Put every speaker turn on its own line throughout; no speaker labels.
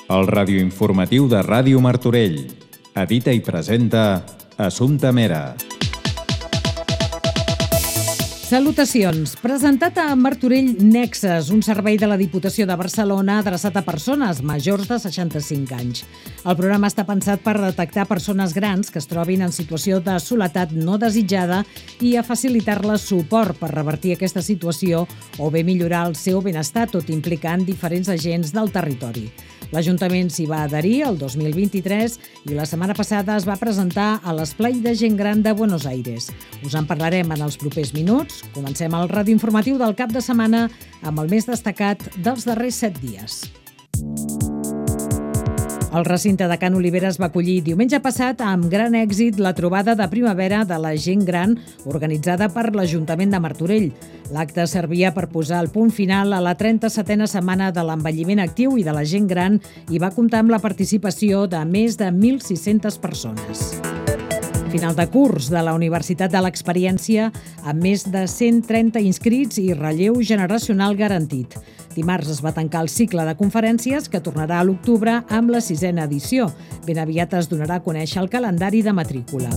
El radioinformatiu de Ràdio Martorell. Edita i presenta Assumpta Mera.
Salutacions. Presentat a Martorell Nexes, un servei de la Diputació de Barcelona adreçat a persones majors de 65 anys. El programa està pensat per detectar persones grans que es trobin en situació de soledat no desitjada i a facilitar-les suport per revertir aquesta situació o bé millorar el seu benestar, tot implicant diferents agents del territori. L'Ajuntament s'hi va adherir el 2023 i la setmana passada es va presentar a l'Esplai de Gent Gran de Buenos Aires. Us en parlarem en els propers minuts. Comencem el radioinformatiu del cap de setmana amb el més destacat dels darrers 7 dies. El recinte de Can Oliveres va acollir diumenge passat amb gran èxit la trobada de primavera de la gent gran organitzada per l'Ajuntament de Martorell. L'acte servia per posar el punt final a la 37a setmana de l'envelliment actiu i de la gent gran i va comptar amb la participació de més de 1.600 persones. Final de curs de la Universitat de l'Experiència amb més de 130 inscrits i relleu generacional garantit. Dimarts es va tancar el cicle de conferències que tornarà a l'octubre amb la 6a edició. Ben aviat es donarà a conèixer el calendari de matrícula.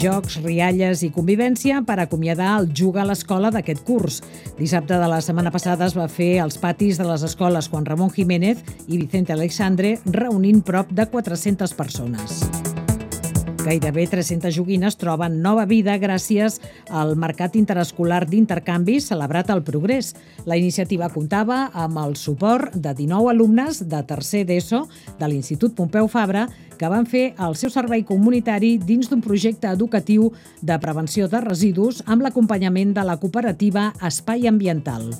Jocs, rialles i convivència per acomiadar el Juga a l'Escola d'aquest curs. Dissabte de la setmana passada es va fer als patis de les escoles Juan Ramón Jiménez i Vicente Alexandre, reunint prop de 400 persones. Gairebé 300 joguines troben nova vida gràcies al Mercat Interescolar d'Intercanvi celebrat al Progrés. La iniciativa comptava amb el suport de 19 alumnes de tercer d'ESO de l'Institut Pompeu Fabra que van fer el seu servei comunitari dins d'un projecte educatiu de prevenció de residus amb l'acompanyament de la cooperativa Espai Ambiental.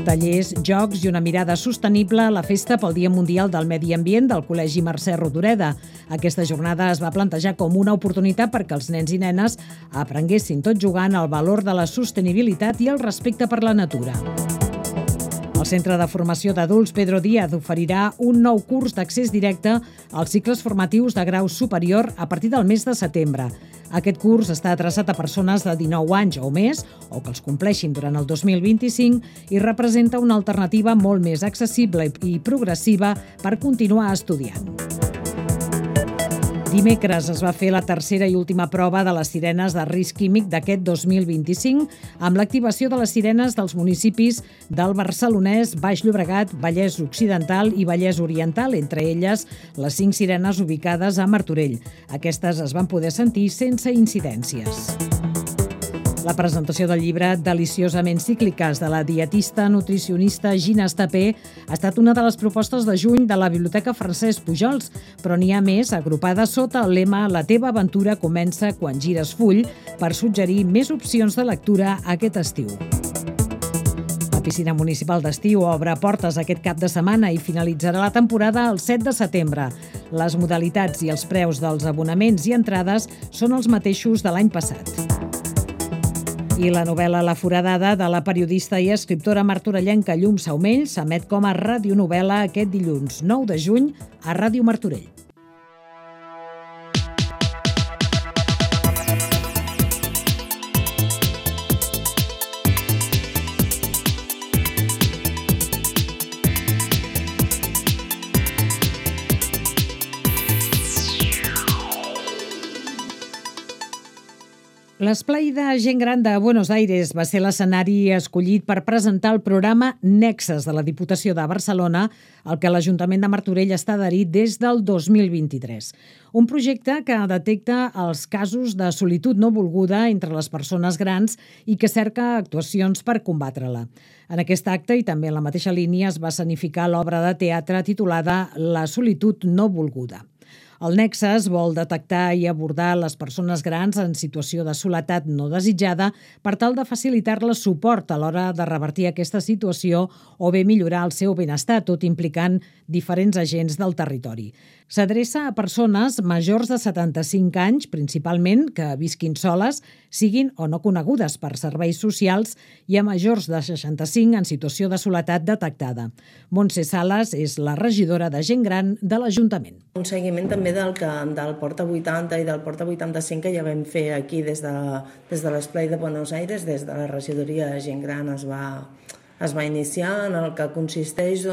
Tallers, jocs i una mirada sostenible a la Festa pel Dia Mundial del Medi Ambient del Col·legi Mercè Rodoreda. Aquesta jornada es va plantejar com una oportunitat perquè els nens i nenes aprenguessin tot jugant el valor de la sostenibilitat i el respecte per la natura. El Centre de Formació d'Adults Pedro Díaz oferirà un nou curs d'accés directe als cicles formatius de grau superior a partir del mes de setembre. Aquest curs està adreçat a persones de 19 anys o més o que els compleixin durant el 2025 i representa una alternativa molt més accessible i progressiva per continuar estudiant. Dimecres es va fer la tercera i última prova de les sirenes de risc químic d'aquest 2025 amb l'activació de les sirenes dels municipis del Barcelonès, Baix Llobregat, Vallès Occidental i Vallès Oriental, entre elles les 5 sirenes ubicades a Martorell. Aquestes es van poder sentir sense incidències. La presentació del llibre Deliciosament cícliques de la dietista nutricionista Gina Estapé ha estat una de les propostes de juny de la Biblioteca Francesc Pujols, però n'hi ha més agrupades sota el lema La teva aventura comença quan gires full per suggerir més opcions de lectura aquest estiu. La piscina municipal d'estiu obre portes aquest cap de setmana i finalitzarà la temporada el 7 de setembre. Les modalitats i els preus dels abonaments i entrades són els mateixos de l'any passat. I la novel·la La foradada de la periodista i escriptora martorellenca Llum Saumell s'emet com a radionovel·la aquest dilluns 9 de juny a Ràdio Martorell. L'Esplai de Gent Gran de Buenos Aires va ser l'escenari escollit per presentar el programa Nexes de la Diputació de Barcelona, al que l'Ajuntament de Martorell està adherit des del 2023. Un projecte que detecta els casos de solitud no volguda entre les persones grans i que cerca actuacions per combatre-la. En aquest acte i també en la mateixa línia es va escenificar l'obra de teatre titulada La solitud no volguda. El Nexes vol detectar i abordar les persones grans en situació de soledat no desitjada per tal de facilitar-les suport a l'hora de revertir aquesta situació o bé millorar el seu benestar, tot implicant diferents agents del territori. S'adreça a persones majors de 75 anys, principalment, que visquin soles, siguin o no conegudes per serveis socials, i a majors de 65 en situació de soledat detectada. Montse Sales és la regidora de Gent Gran de l'Ajuntament.
Un seguiment també també del Porta 80 i del Porta 85 que ja vam fer aquí des de l'Esplai de Buenos Aires, des de la regidoria de gent gran es va iniciar, en el que consisteix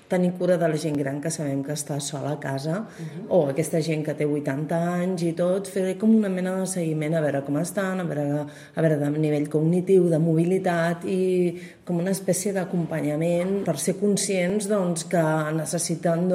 tenir cura de la gent gran que sabem que està sola a casa, o aquesta gent que té 80 anys i tot, fer com una mena de seguiment, a veure com estan, a veure de nivell cognitiu, de mobilitat i com una espècie d'acompanyament per ser conscients que necessiten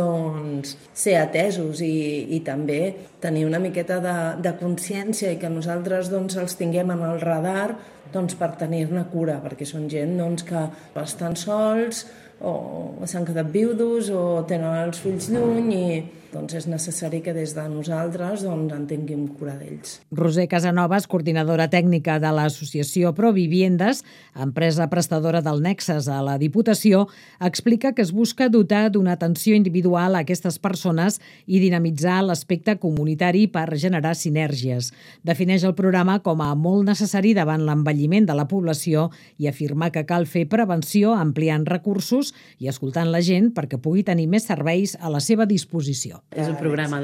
ser atesos i també tenir una miqueta de consciència i que nosaltres els tinguem en el radar per tenir-ne cura, perquè són gent que estan sols o s'han quedat viudos o tenen els fills lluny i és necessari que des de nosaltres en tinguem cura d'ells.
Roser Casanovas, coordinadora tècnica de l'associació Proviviendes, empresa prestadora del Nexes a la Diputació, explica que es busca dotar d'una atenció individual a aquestes persones i dinamitzar l'aspecte comunitari per generar sinergies. Defineix el programa com a molt necessari davant l'envelliment de la població i afirma que cal fer prevenció ampliant recursos i escoltant la gent perquè pugui tenir més serveis a la seva disposició.
És un programa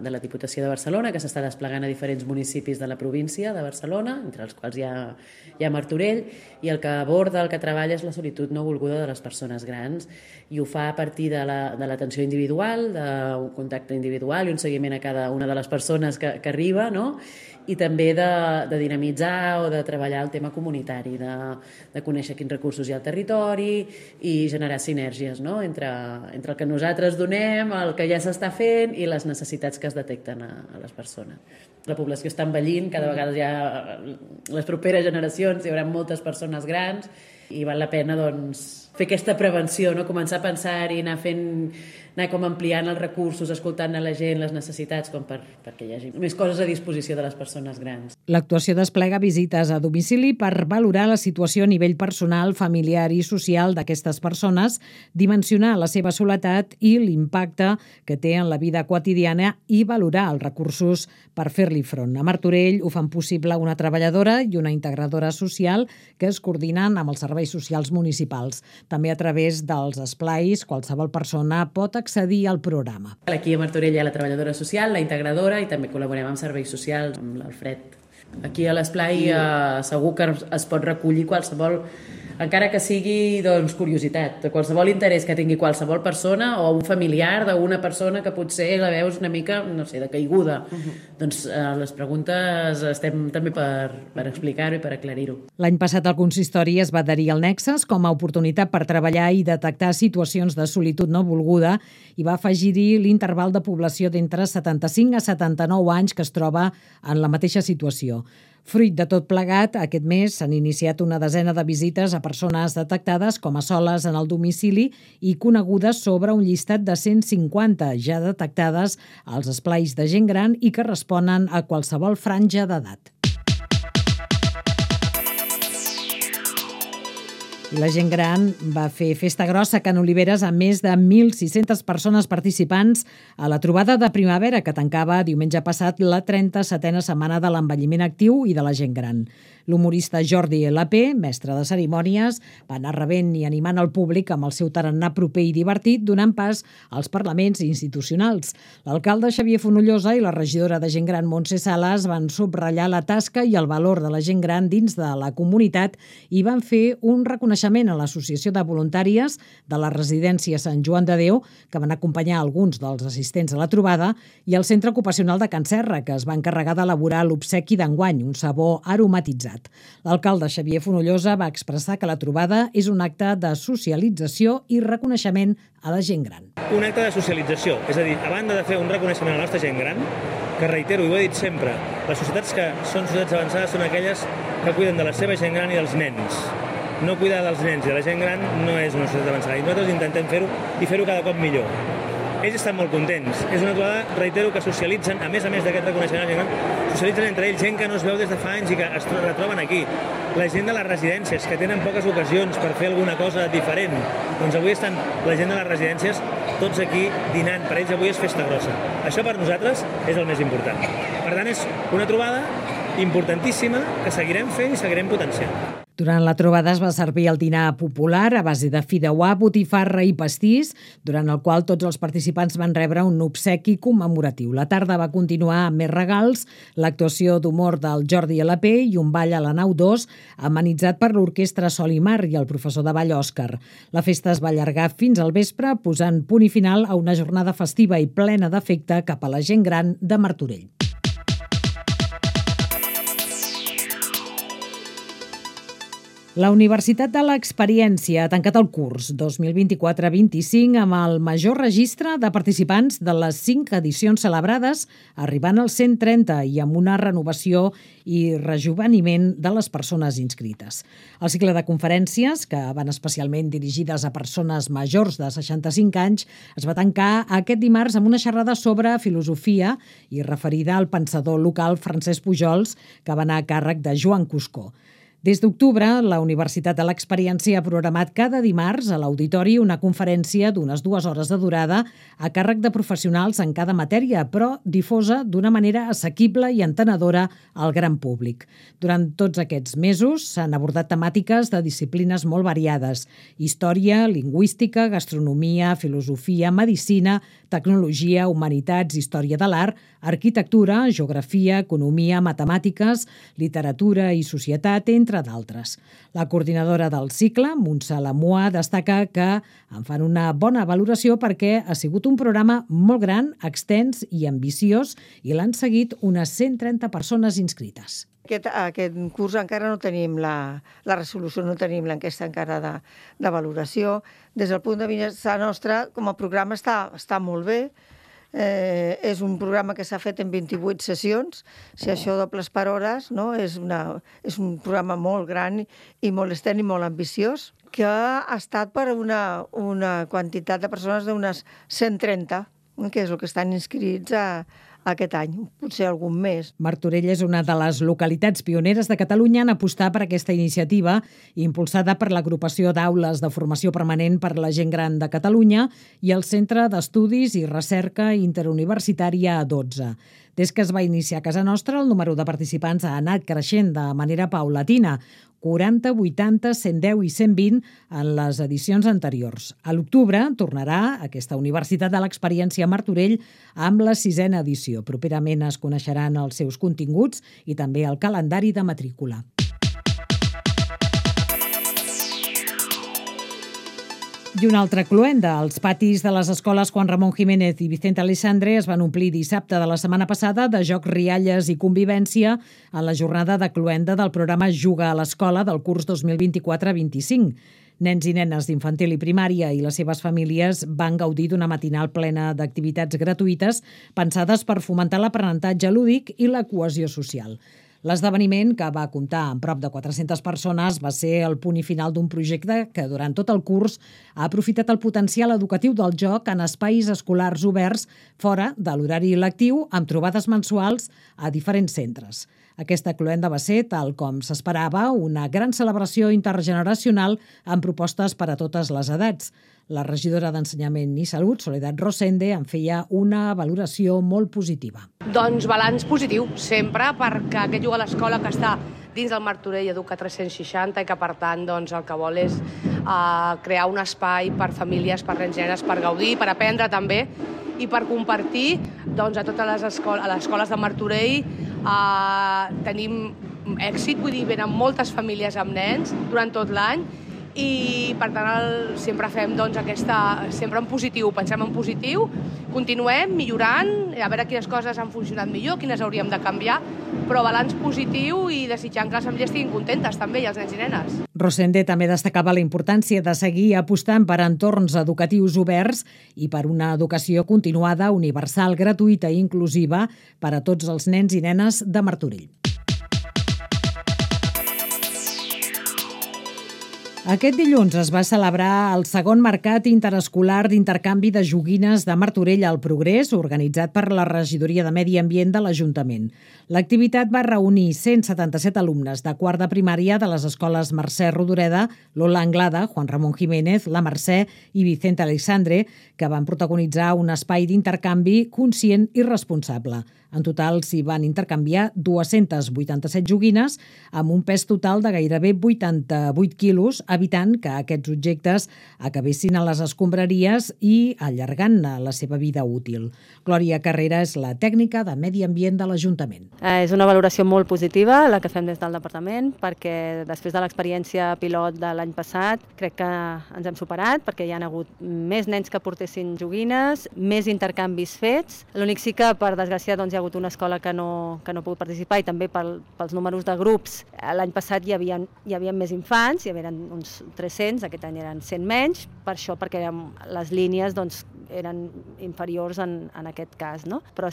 de la Diputació de Barcelona que s'està desplegant a diferents municipis de la província de Barcelona, entre els quals hi ha Martorell, i el que aborda, el que treballa és la solitud no volguda de les persones grans i ho fa a partir de l'atenció individual, d'un contacte individual i un seguiment a cada una de les persones que arriba, no? I també de dinamitzar o de treballar el tema comunitari, de conèixer quins recursos hi ha al territori i generar sinergies, no? entre el que nosaltres donem, el que ja s'està fent i les necessitats que es detecten a les persones. La població està envellint, cada vegada les properes generacions hi haurà moltes persones grans i val la pena fer aquesta prevenció, no? Començar a pensar i anar com ampliant els recursos, escoltant a la gent, les necessitats, com perquè hi hagi més coses a disposició de les persones grans.
L'actuació desplega visites a domicili per valorar la situació a nivell personal, familiar i social d'aquestes persones, dimensionar la seva soledat i l'impacte que té en la vida quotidiana i valorar els recursos per fer-li front. A Martorell ho fan possible una treballadora i una integradora social que es coordinen amb els serveis socials municipals. També a través dels esplais, qualsevol persona pot accedir al programa.
Aquí a Martorell hi ha la treballadora social, la integradora i també col·laborem amb serveis socials, amb l'Alfred. Aquí a l'esplai segur que es pot recollir qualsevol, encara que sigui curiositat, de qualsevol interès que tingui qualsevol persona o un familiar d'una persona que potser la veus una mica, no sé, de caiguda. Doncs les preguntes estem també per explicar-ho i per aclarir-ho.
L'any passat el consistori es va adherir al Nexes com a oportunitat per treballar i detectar situacions de solitud no volguda i va afegir-hi l'interval de població d'entre 75 a 79 anys que es troba en la mateixa situació. Fruit de tot plegat, aquest mes s'han iniciat una desena de visites a persones detectades com a soles en el domicili i conegudes sobre un llistat de 150 ja detectades als esplais de gent gran i que responen a qualsevol franja d'edat. I la gent gran va fer festa grossa a Can Oliveres amb més de 1.600 persones participants a la trobada de primavera que tancava diumenge passat la 37a setmana de l'envelliment actiu i de la gent gran. L'humorista Jordi L.P., mestre de cerimònies, va anar rebent i animant el públic amb el seu tarannà proper i divertit, donant pas als parlaments institucionals. L'alcalde Xavier Fonollosa i la regidora de gent gran Montse Sales van subratllar la tasca i el valor de la gent gran dins de la comunitat i van fer un reconeixement a l'Associació de Voluntàries de la residència Sant Joan de Déu, que van acompanyar alguns dels assistents a la trobada, i al Centre Ocupacional de Can Serra, que es va encarregar d'elaborar l'obsequi d'enguany, un sabó aromatitzat. L'alcalde Xavier Fonollosa va expressar que la trobada és un acte de socialització i reconeixement a la gent gran.
Un acte de socialització, és a dir, a banda de fer un reconeixement a la nostra gent gran, que reitero, i ho he dit sempre, les societats que són societats avançades són aquelles que cuiden de la seva gent gran i dels nens. No cuidar dels nens i de la gent gran no és una societat avançada, i nosaltres intentem fer-ho i fer-ho cada cop millor. Ells estan molt contents. És una trobada, reitero, que socialitzen, a més d'aquest reconeixement a la gent gran, socialitzen entre ells gent que no es veu des de fa anys i que es retroben aquí. La gent de les residències, que tenen poques ocasions per fer alguna cosa diferent. Doncs avui estan la gent de les residències tots aquí dinant. Per ells avui és festa grossa. Això per nosaltres és el més important. Per tant, és una trobada importantíssima que seguirem fent i seguirem potenciant.
Durant la trobada es va servir el dinar popular a base de fideuà, botifarra i pastís, durant el qual tots els participants van rebre un obsequi commemoratiu. La tarda va continuar amb més regals, l'actuació d'humor del Jordi LP i un ball a la nau 2, amenitzat per l'orquestra Sol i Mar i el professor de ball Òscar. La festa es va allargar fins al vespre, posant punt i final a una jornada festiva i plena d'afecte cap a la gent gran de Martorell. La Universitat de l'Experiència ha tancat el curs 2024-25 amb el major registre de participants de les 5 edicions celebrades, arribant als 130 i amb una renovació i rejoveniment de les persones inscrites. El cicle de conferències, que van especialment dirigides a persones majors de 65 anys, es va tancar aquest dimarts amb una xerrada sobre filosofia i referida al pensador local Francesc Pujols, que va anar a càrrec de Joan Cuscó. Des d'octubre, la Universitat de l'Experiència ha programat cada dimarts a l'auditori una conferència d'unes 2 hores de durada a càrrec de professionals en cada matèria, però difosa d'una manera assequible i entenedora al gran públic. Durant tots aquests mesos s'han abordat temàtiques de disciplines molt variades: història, lingüística, gastronomia, filosofia, medicina, tecnologia, humanitats, història de l'art, arquitectura, geografia, economia, matemàtiques, literatura i societat, entre d'altres. La coordinadora del cicle, Montse Lamoa, destaca que en fan una bona valoració perquè ha sigut un programa molt gran, extens i ambiciós i l'han seguit unes 130 persones inscrites.
Aquest curs encara no tenim la resolució, no tenim l'enquesta encara de valoració. Des del punt de vista nostre, com a programa està molt bé. És un programa que s'ha fet en 28 sessions. Si això dobles per hores, no? És un programa molt gran i molt extens i molt ambiciós, que ha estat per una quantitat de persones d'unes 130, que és el que estan inscrits aquest any, potser algun més.
Martorell és una de les localitats pioneres de Catalunya en apostar per aquesta iniciativa, impulsada per l'Agrupació d'Aules de Formació Permanent per la Gent Gran de Catalunya i el Centre d'Estudis i Recerca Interuniversitària A12. Des que es va iniciar a casa nostra, el número de participants ha anat creixent de manera paulatina, 40, 80, 110 i 120 en les edicions anteriors. A l'octubre tornarà aquesta Universitat de l'Experiència a Martorell amb la 6a edició. Properament es coneixeran els seus continguts i també el calendari de matrícula. I una altra cloenda. Els patis de les escoles Juan Ramón Jiménez i Vicente Aleixandre es van omplir dissabte de la setmana passada de jocs, rialles i convivència en la jornada de cloenda del programa Juga a l'Escola del curs 2024-25. Nens i nenes d'infantil i primària i les seves famílies van gaudir d'una matinal plena d'activitats gratuïtes pensades per fomentar l'aprenentatge lúdic i la cohesió social. L'esdeveniment, que va comptar amb prop de 400 persones, va ser el punt i final d'un projecte que durant tot el curs ha aprofitat el potencial educatiu del joc en espais escolars oberts fora de l'horari lectiu amb trobades mensuals a diferents centres. Aquesta cloenda va ser, tal com s'esperava, una gran celebració intergeneracional amb propostes per a totes les edats. La regidora d'Ensenyament i Salut, Soledad Rosende, en feia una valoració molt positiva.
Doncs balanç positiu, sempre, perquè aquest Juga a l'Escola que està dins del Martorell Educa 360 i que, per tant, doncs, el que vol és crear un espai per famílies, per nens i nenes, per gaudir, per aprendre també i per compartir doncs, a totes les escoles de Martorell. Tenim èxit, vull dir, venen moltes famílies amb nens durant tot l'any i per tant sempre fem doncs, sempre en positiu, pensem en positiu, continuem millorant, a veure quines coses han funcionat millor, quines hauríem de canviar, però balanç positiu i desitjant que les famílies estiguin contentes també, i els nens i nenes.
Rosende també destacava la importància de seguir apostant per entorns educatius oberts i per una educació continuada, universal, gratuïta i inclusiva per a tots els nens i nenes de Martorell. Aquest dilluns es va celebrar el segon mercat interescolar d'intercanvi de joguines de Martorell al Progrés, organitzat per la Regidoria de Medi Ambient de l'Ajuntament. L'activitat va reunir 177 alumnes de quart de primària de les escoles Mercè Rodoreda, Lola Anglada, Juan Ramón Jiménez, La Mercè i Vicente Aleixandre, que van protagonitzar un espai d'intercanvi conscient i responsable. En total s'hi van intercanviar 287 joguines amb un pes total de gairebé 88 quilos, evitant que aquests objectes acabessin a les escombraries i allargant la seva vida útil. Glòria Carrera és la tècnica de Medi Ambient de l'Ajuntament.
És una valoració molt positiva la que fem des del departament, perquè després de l'experiència pilot de l'any passat crec que ens hem superat, perquè hi ha hagut més nens que portessin joguines, més intercanvis fets. L'únic sí que, per desgràcia, hi ha hagut una escola que no ha pogut participar, i també pels números de grups. L'any passat hi havia més infants, hi havia uns 300, aquest any eren 100 menys, per això, perquè les línies eren inferiors en aquest cas, no? Però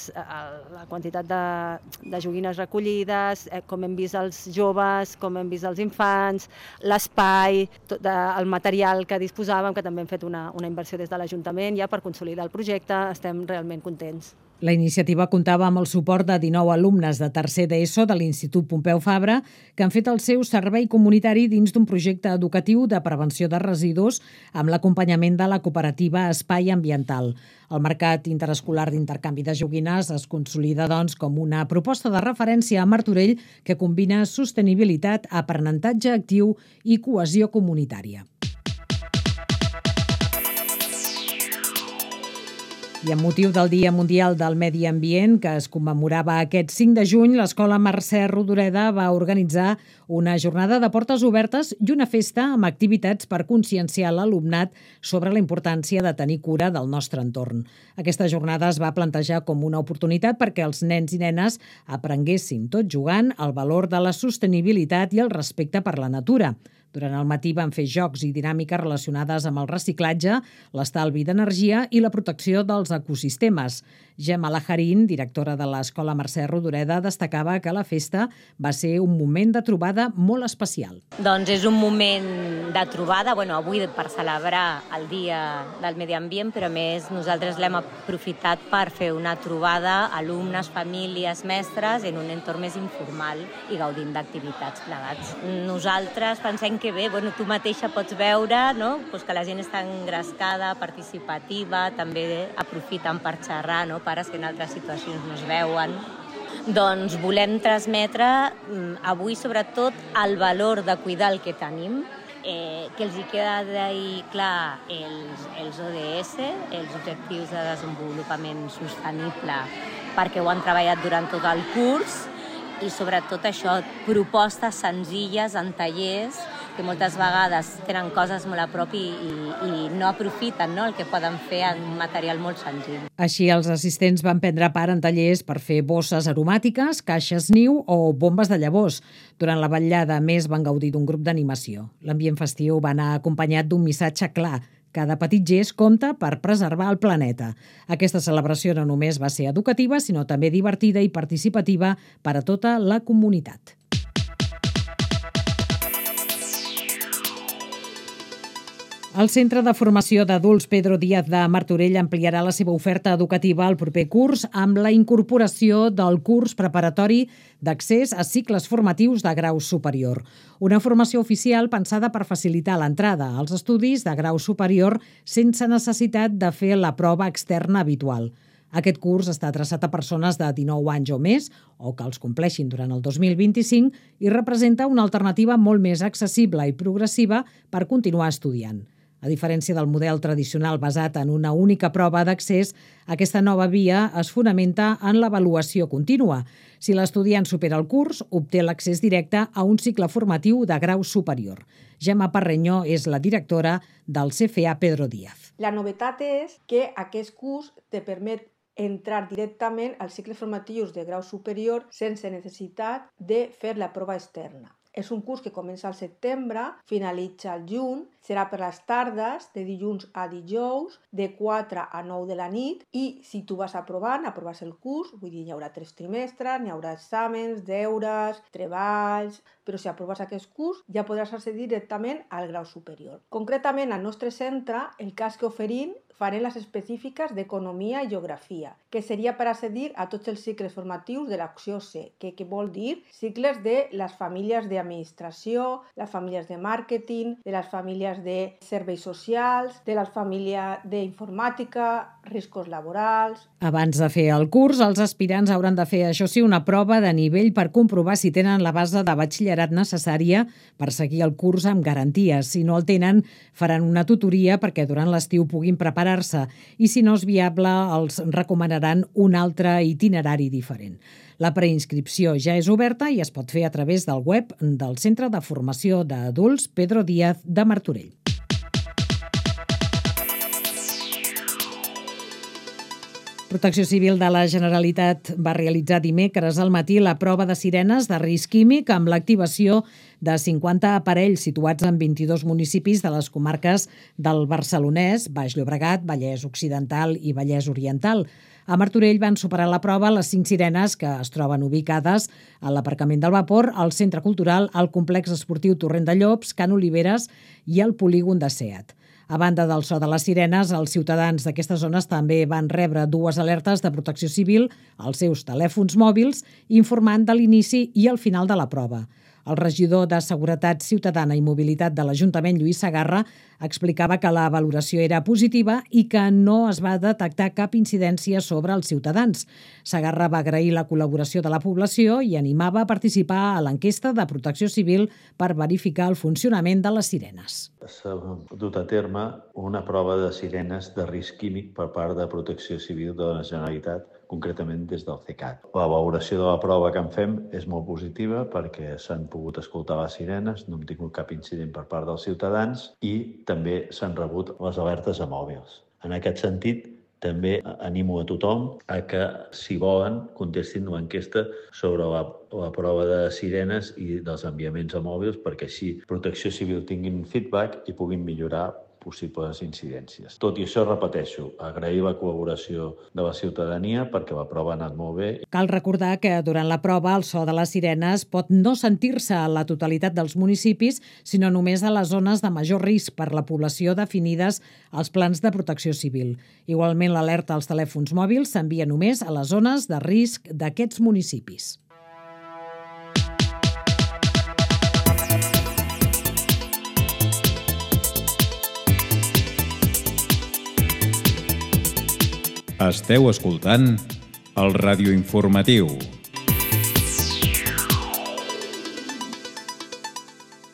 la quantitat de joguines recollides, com hem vist els joves, com hem vist els infants, l'espai, el material que disposàvem, que també hem fet una inversió des de l'Ajuntament ja per consolidar el projecte, estem realment contents.
La iniciativa comptava amb el suport de 19 alumnes de tercer d'ESO de l'Institut Pompeu Fabra que han fet el seu servei comunitari dins d'un projecte educatiu de prevenció de residus amb l'acompanyament de la cooperativa Espai Ambiental. El mercat interescolar d'intercanvi de joguines es consolida, doncs, com una proposta de referència a Martorell que combina sostenibilitat, aprenentatge actiu i cohesió comunitària. I amb motiu del Dia Mundial del Medi Ambient, que es commemorava aquest 5 de juny, l'Escola Mercè Rodoreda va organitzar una jornada de portes obertes i una festa amb activitats per conscienciar l'alumnat sobre la importància de tenir cura del nostre entorn. Aquesta jornada es va plantejar com una oportunitat perquè els nens i nenes aprenguessin, tot jugant, el valor de la sostenibilitat i el respecte per la natura. Durant el matí van fer jocs i dinàmiques relacionades amb el reciclatge, l'estalvi d'energia i la protecció dels ecosistemes. Gemma Lajarín, directora de l'Escola Mercè Rodoreda, destacava que la festa va ser un moment de trobada molt especial.
Doncs és un moment de trobada, avui per celebrar el Dia del Medi Ambient, però a més nosaltres l'hem aprofitat per fer una trobada alumnes, famílies, mestres en un entorn més informal i gaudint d'activitats plegats. Nosaltres pensem que bé, tu mateixa pots veure, no? Que la gent està engrescada, participativa, també aprofiten per xerrar, pares que en altres situacions no es veuen. Doncs volem transmetre avui sobretot el valor de cuidar el que tenim, que els hi queda d'ahir clar els ODS, els Objectius de Desenvolupament Sostenible, perquè ho han treballat durant tot el curs, i sobretot això, propostes senzilles en tallers que moltes vegades tenen coses molt a prop i no aprofiten el que poden fer en un material molt senzill.
Així, els assistents van prendre part en tallers per fer bosses aromàtiques, caixes niu o bombes de llavors. Durant la vetllada, més, van gaudir d'un grup d'animació. L'ambient festiu va anar acompanyat d'un missatge clar: cada petit gest compta per preservar el planeta. Aquesta celebració no només va ser educativa, sinó també divertida i participativa per a tota la comunitat. El Centre de Formació d'Adults Pedro Díaz de Martorell ampliarà la seva oferta educativa al proper curs amb la incorporació del curs preparatori d'accés a cicles formatius de grau superior. Una formació oficial pensada per facilitar l'entrada als estudis de grau superior sense necessitat de fer la prova externa habitual. Aquest curs està adreçat a persones de 19 anys o més o que els compleixin durant el 2025 i representa una alternativa molt més accessible i progressiva per continuar estudiant. A diferència del model tradicional basat en una única prova d'accés, aquesta nova via es fonamenta en l'avaluació contínua. Si l'estudiant supera el curs, obté l'accés directe a un cicle formatiu de grau superior. Gemma Parreño és la directora del CFA Pedro Díaz.
La novetat és que aquest curs te permet entrar directament als cicles formatius de grau superior sense necessitat de fer la prova externa. És un curs que comença al setembre, finalitza al juny, serà per les tardes, de dilluns a dijous, de 4 a 9 de la nit, i si tu vas aprovant, aproves el curs, vull dir, hi haurà 3 trimestres, hi haurà exàmens, deures, treballs, però si aproves aquest curs ja podràs accedir directament al grau superior. Concretament, al nostre centre, el cas que oferim farem les específiques d'Economia i Geografia, que seria per accedir a tots els cicles formatius de l'opció C, que vol dir cicles de les famílies d'administració, les famílies de màrqueting, de les famílies de serveis socials, de les famílies d'informàtica, riscos laborals.
Abans de fer el curs, els aspirants hauran de fer, això sí, una prova de nivell per comprovar si tenen la base de batxillerat necessària per seguir el curs amb garanties. Si no el tenen, faran una tutoria perquè durant l'estiu puguin preparar-se i si no és viable, els recomanaran un altre itinerari diferent. La preinscripció ja és oberta i es pot fer a través del web del Centre de Formació d'Adults Pedro Díaz de Martorell. Protecció Civil de la Generalitat va realitzar dimecres al matí la prova de sirenes de risc químic amb l'activació de 50 aparells situats en 22 municipis de les comarques del Barcelonès, Baix Llobregat, Vallès Occidental i Vallès Oriental. A Martorell van superar la prova les 5 sirenes que es troben ubicades a l'aparcament del Vapor, al Centre Cultural, al Complex Esportiu Torrent de Llops, Can Oliveres i al polígon de SEAT. A banda del so de les sirenes, els ciutadans d'aquestes zones també van rebre 2 alertes de protecció civil als seus telèfons mòbils informant de l'inici i el final de la prova. El regidor de Seguretat Ciutadana i Mobilitat de l'Ajuntament, Lluís Segarra, explicava que la valoració era positiva i que no es va detectar cap incidència sobre els ciutadans. Segarra va agrair la col·laboració de la població i animava a participar a l'enquesta de Protecció Civil per verificar el funcionament de les sirenes.
S'ha dut a terme una prova de sirenes de risc químic per part de Protecció Civil de la Generalitat, concretament des del CECAT. La valoració de la prova que en fem és molt positiva perquè s'han pogut escoltar les sirenes, no hem tingut cap incident per part dels ciutadans i també s'han rebut les alertes a mòbils. En aquest sentit, també animo a tothom a que, si volen, contestin l'enquesta sobre la prova de sirenes i dels enviaments a mòbils perquè així Protecció Civil tinguin feedback i puguin millorar possibles incidències. Tot i això, repeteixo, agrair la col·laboració de la ciutadania perquè la prova ha anat molt bé.
Cal recordar que durant la prova el so de les sirenes pot no sentir-se a la totalitat dels municipis, sinó només a les zones de major risc per la població definides als plans de protecció civil. Igualment, l'alerta als telèfons mòbils s'envia només a les zones de risc d'aquests municipis.
Esteu escoltant el radioinformatiu.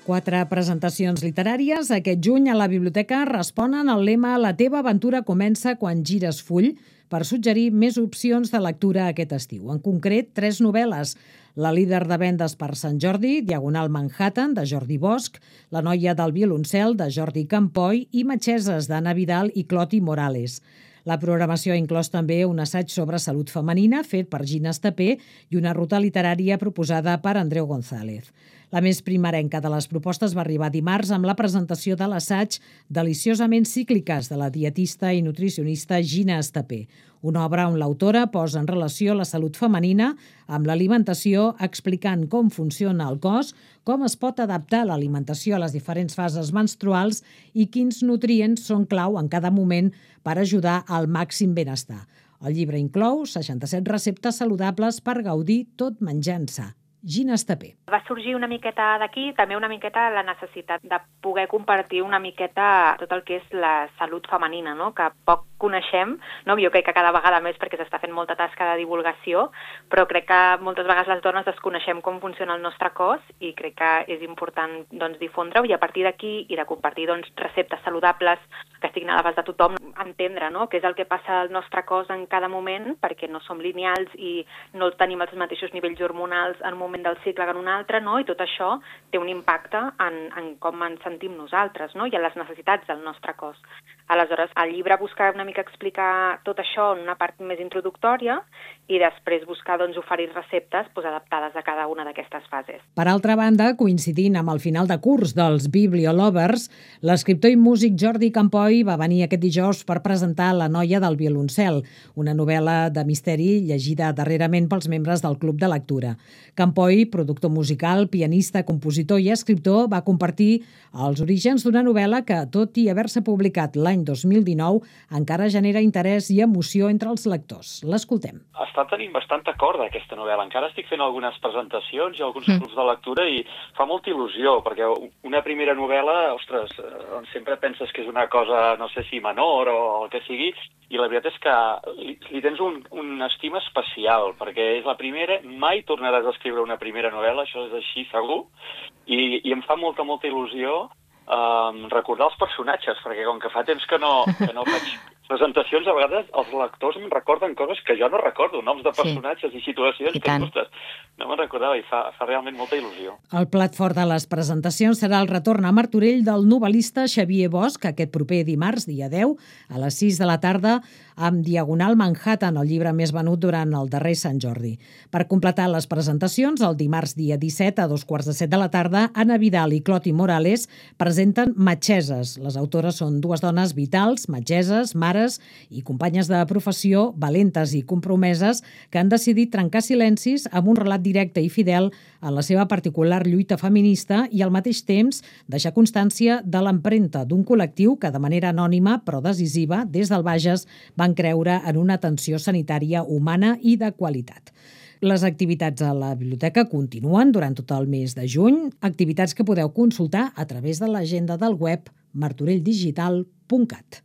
4 presentacions literàries aquest juny a la biblioteca responen al lema «La teva aventura comença quan gires full» per suggerir més opcions de lectura aquest estiu. En concret, 3 novel·les. La líder de vendes per Sant Jordi, Diagonal Manhattan, de Jordi Bosch, La noia del violoncel, de Jordi Campoy i Metgeses, d'Anna Vidal i Cloti Morales. La programació ha inclòs també un assaig sobre salut femenina fet per Gina Estapé i una ruta literària proposada per Andreu González. La més primerenca de les propostes va arribar dimarts amb la presentació de l'assaig Deliciosament cícliques de la dietista i nutricionista Gina Estapé, una obra on l'autora posa en relació la salut femenina amb l'alimentació explicant com funciona el cos, com es pot adaptar l'alimentació a les diferents fases menstruals i quins nutrients són clau en cada moment per ajudar al màxim benestar. El llibre inclou 67 receptes saludables per gaudir tot menjant sa. Gina Estapé.
Va sorgir una miqueta d'aquí, també una miqueta la necessitat de poder compartir una miqueta tot el que és la salut femenina, no? Que poc coneixem, no? Jo crec que cada vegada més perquè s'està fent molta tasca de divulgació, però crec que moltes vegades les dones desconeixem com funciona el nostre cos i crec que és important difondre-ho i a partir d'aquí i de compartir receptes saludables que estiguin a l'abast de tothom, entendre què és el que passa al nostre cos en cada moment perquè no som lineals i no tenim els mateixos nivells hormonals en un moment del cicle que en un altre, i tot això té un impacte en com ens sentim nosaltres, i en les necessitats del nostre cos. Aleshores, el llibre busca una mica explicar tot això en una part més introductòria i després buscar oferir receptes adaptades a cada una d'aquestes fases.
Per altra banda, coincidint amb el final de curs dels Bibliolovers, l'escriptor i músic Jordi Campoy va venir aquest dijous per presentar La noia del violoncel, una novel·la de misteri llegida darrerament pels membres del Club de Lectura. Campoy, productor musical, pianista, compositor i escriptor, va compartir els orígens d'una novel·la que, tot i haver-se publicat l'any 2019, encara ara genera interès i emoció entre els lectors. L'escoltem.
Està tenint bastant acord aquesta novel·la. Encara estic fent algunes presentacions i alguns grups de lectura i fa molta il·lusió, perquè una primera novel·la, ostres, sempre penses que és una cosa, no sé si menor o el que sigui, i la veritat és que li tens un estima especial, perquè és la primera, mai tornaràs a escriure una primera novel·la, això és així segur, i em fa molta il·lusió recordar els personatges, perquè com que fa temps que no faig presentacions, a vegades els lectors em recorden coses que jo no recordo, noms de personatges i situacions que, ostres, no me'n recordava, i fa realment molta il·lusió.
El plat fort de les presentacions serà el retorn a Martorell del novel·lista Xavier Bosch, aquest proper dimarts, dia 10, a les 6 de la tarda, amb Diagonal Manhattan, el llibre més venut durant el darrer Sant Jordi. Per completar les presentacions, el dimarts dia 17 a 2:15 de la tarda, Anna Vidal i Cloti Morales presenten Metgeses. Les autores són dues dones vitals, metgeses, mares i companyes de professió, valentes i compromeses, que han decidit trencar silencis amb un relat directe i fidel en la seva particular lluita feminista i al mateix temps deixar constància de l'empremta d'un col·lectiu que de manera anònima però decisiva des del Bages van creure en una atenció sanitària humana i de qualitat. Les activitats a la biblioteca continuen durant tot el mes de juny, activitats que podeu consultar a través de l'agenda del web martorelldigital.cat.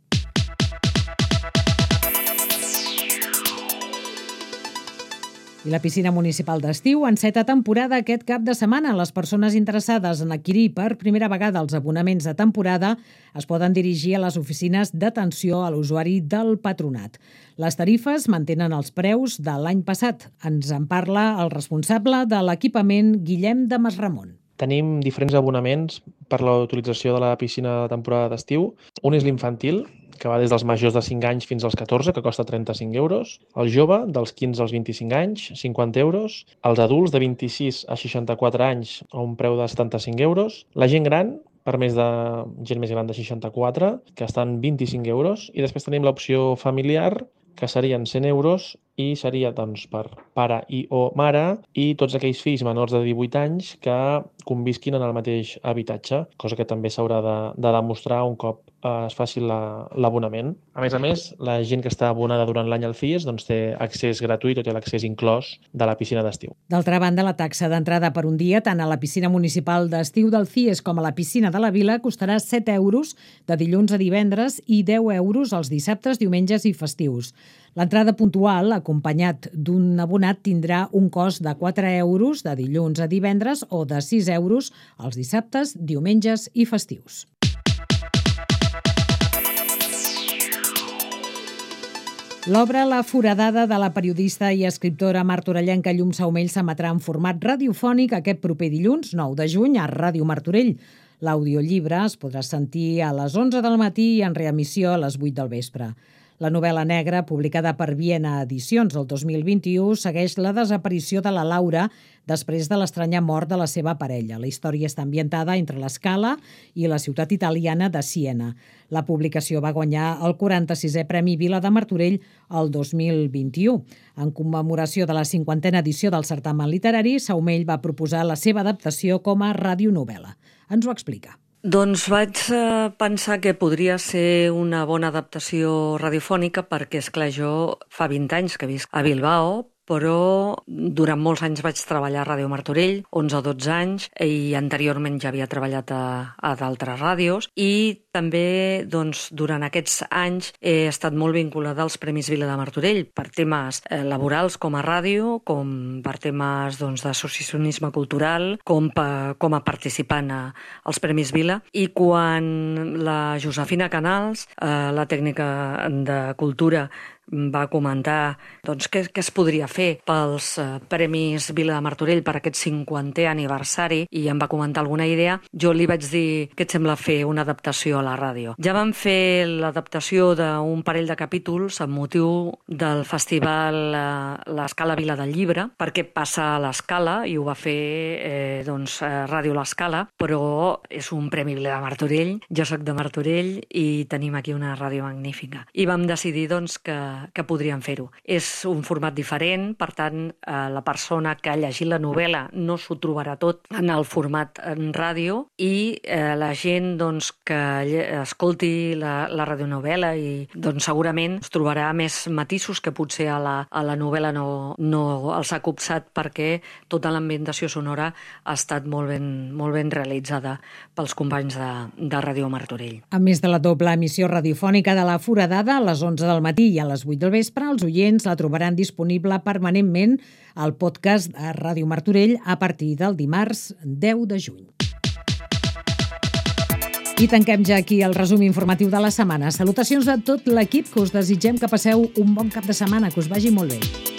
I la piscina municipal d'estiu enceta temporada aquest cap de setmana. Les persones interessades en adquirir per primera vegada els abonaments de temporada es poden dirigir a les oficines d'atenció a l'usuari del Patronat. Les tarifes mantenen els preus de l'any passat. Ens en parla el responsable de l'equipament, Guillem de Masramon.
Tenim diferents abonaments per la utilització de la piscina de temporada d'estiu. Un és l'infantil, que va des dels majors de 5 anys fins als 14, que costa 35 euros. El jove, dels 15 als 25 anys, 50 euros. Els adults, de 26 a 64 anys, a un preu de 75 euros. La gent gran, per gent més gran de 64, que estan 25 euros. I després tenim l'opció familiar, que serien 100 euros i seria doncs, per pare i o mare i tots aquells fills menors de 18 anys que convisquin en el mateix habitatge, cosa que també s'haurà de demostrar un cop es faci l'abonament. A més, la gent que està abonada durant l'any al CIES doncs, té accés gratuït o té l'accés inclòs de la piscina d'estiu.
D'altra banda, la taxa d'entrada per un dia tant a la piscina municipal d'estiu del CIES com a la piscina de la Vila costarà 7 euros de dilluns a divendres i 10 euros els dissabtes, diumenges i festius. L'entrada puntual, acompanyat d'un abonat, tindrà un cost de 4 euros de dilluns a divendres o de 6 euros els dissabtes, diumenges i festius. L'obra La foradada de la periodista i escriptora martorellenca Llum Saumell s'emetrà en format radiofònic aquest proper dilluns, 9 de juny, a Ràdio Martorell. L'audiollibre es podrà sentir a les 11 del matí i en reemissió a les 8 del vespre. La novel·la negra, publicada per Viena Edicions el 2021, segueix la desaparició de la Laura després de l'estranya mort de la seva parella. La història està ambientada entre l'Escala i la ciutat italiana de Siena. La publicació va guanyar el 46è Premi Vila de Martorell el 2021. En commemoració de la 50a edició del certamen literari, Saumell va proposar la seva adaptació com a radionovel·la. Ens ho explica.
Doncs vaig pensar que podria ser una bona adaptació radiofònica perquè, esclar, jo fa 20 anys que visc a Bilbao, però durant molts anys vaig treballar a Ràdio Martorell, 11 o 12 anys, i anteriorment ja havia treballat a d'altres ràdios, i també durant aquests anys he estat molt vinculada als Premis Vila de Martorell per temes laborals com a ràdio, com per temes d'associacionisme cultural, com a participant als Premis Vila. I quan la Josefina Canals, la tècnica de cultura, va comentar què es podria fer pels Premis Vila de Martorell per aquest 50è aniversari i em va comentar alguna idea, jo li vaig dir què et sembla fer una adaptació a la ràdio. Ja vam fer l'adaptació d'un parell de capítols amb motiu del festival l'Escala Vila del Llibre, perquè passa a l'Escala i ho va fer Ràdio l'Escala, però és un Premi Vila de Martorell, jo soc de Martorell i tenim aquí una ràdio magnífica. I vam decidir que que podrien fer-ho. És un format diferent, per tant, la persona que ha llegit la novel·la no s'ho trobarà tot en el format en ràdio i la gent que escolti la radionovel·la i segurament es trobarà més matisos que potser a la novel·la no els ha copsat, perquè tota l'ambientació sonora ha estat molt ben realitzada pels companys de Ràdio Martorell.
A més de la doble emissió radiofònica de La Foradada, a les 11 del matí i a les 8 del vespre, els oients la trobaran disponible permanentment al podcast de Ràdio Martorell a partir del dimarts 10 de juny. I tanquem ja aquí el resum informatiu de la setmana. Salutacions de tot l'equip, que us desitgem que passeu un bon cap de setmana, que us vagi molt bé.